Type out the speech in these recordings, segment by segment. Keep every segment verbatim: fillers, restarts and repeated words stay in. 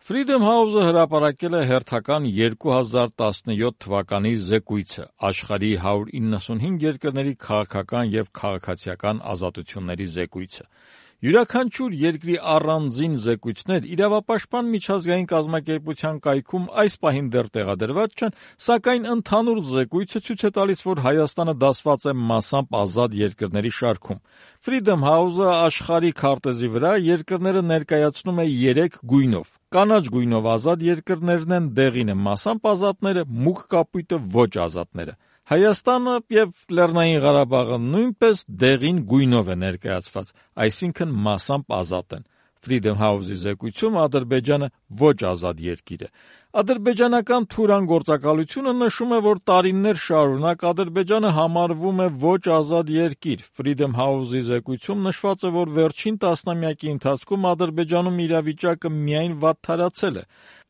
Freedom House-ը հրապարակել է հերթական երկու հազար տասնյոթ թվականի զեկույցը աշխարհի հարյուր իննսունհինգ երկրների քաղաքական եւ քաղաքացիական ազատությունների զեկույցը։ Յուրաքանչյուր երկրի առանձին զեկույցներ իրավապաշտպան միջազգային կազմակերպության կայքում այս պահին դեռ տեղադրված չեն, սակայն ընդհանուր զեկույցը ցույց է տալիս, որ Հայաստանը դասված է մասամբ ազատ երկրների շարքում։ Freedom House-ը աշխարհի քարտեզի վրա երկրները ներկայացնում է երեք գույնով։ Կանաչ գույնով ազատ երկրներն են, դեղինը մասամբ ազատները, մուգ կապույտը ոչ ազատները։ Հայաստանը եւ Լեռնային Ղարաբաղը նույնպես դեղին գույնով է ներկայացված, այսինքն մասամբ ազատ են։ Freedom House-ի զեկույցում Ադրբեջանը ոչ ազատ երկիր է։ Ադրբեջանական Թուրան գործակալությունը նշում է, որ տարիներ շարունակ Ադրբեջանը համարվում է ոչ ազատ երկիր։ Freedom House-ի զեկույցում նշված է, որ վերջին տասնամյակի ընթացքում Ադրբեջանում իրավիճակը միայն վատթարացել է։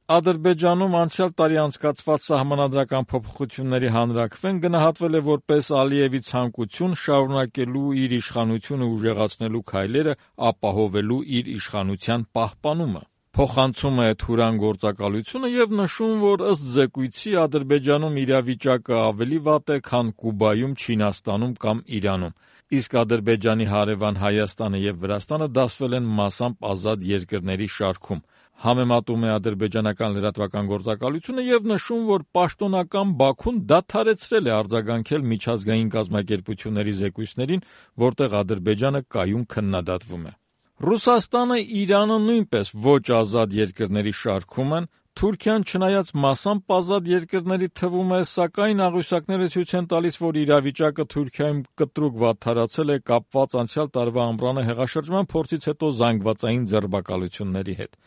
Ադրբեջանում անցյալ տարի անցկացված սահմանադրական փոփոխությունների հանրաքվեն գնահատվել է որպես Ալիևի ցանկություն շարունակելու իր իշխանությունը ուժեղացնելու քայլերը ապահովելու իր իշխանության պահպանումը։ Փոխանցում է Թուրան գործակալությունը եւ նշում, որ ըստ զեկույցի Ադրբեջանում իրավիճակը ավելի վատ է, քան Կուբայում, Չինաստանում կամ Իրանում, իսկ Ադրբեջանի հարևան Հայաստանը եւ Վրաստանը դասվել են մասամբ ազատ երկրների շարքում։ Համեմատում է ադրբեջանական լրատվական գործակալությունը եւ նշում, որ պաշտոնական Բաքուն դադարեցրել է արձագանքել միջազգային կազմակերպությունների զեկույցներին, որտեղ Ադրբեջանը կայուն քննադատվում է։ Ռուսաստանը, Իրանը նույնպես ոչ ազատ երկրների շարքում են։ Թուրքիան, չնայած մասամբ ազատ երկրների թվում է, սակայն աղյուսակները ցույց են տալիս, որ իրավիճակը Թուրքիայում կտրուկ վատթարացել է կապված անցյալ տարվա ամռանը հեղաշրջման փորձից հետո զանգվածային ձերբակալությունների հետ։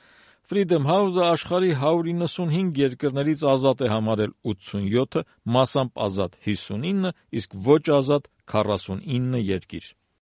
Freedom House-ը աշխարհի հարյուր իննսունհինգ երկրներից ազատ է համարել ութսունյոթը, մասամբ ազատ հիսունինը, իսկ ոչ ազատ քառասունինը երկիր։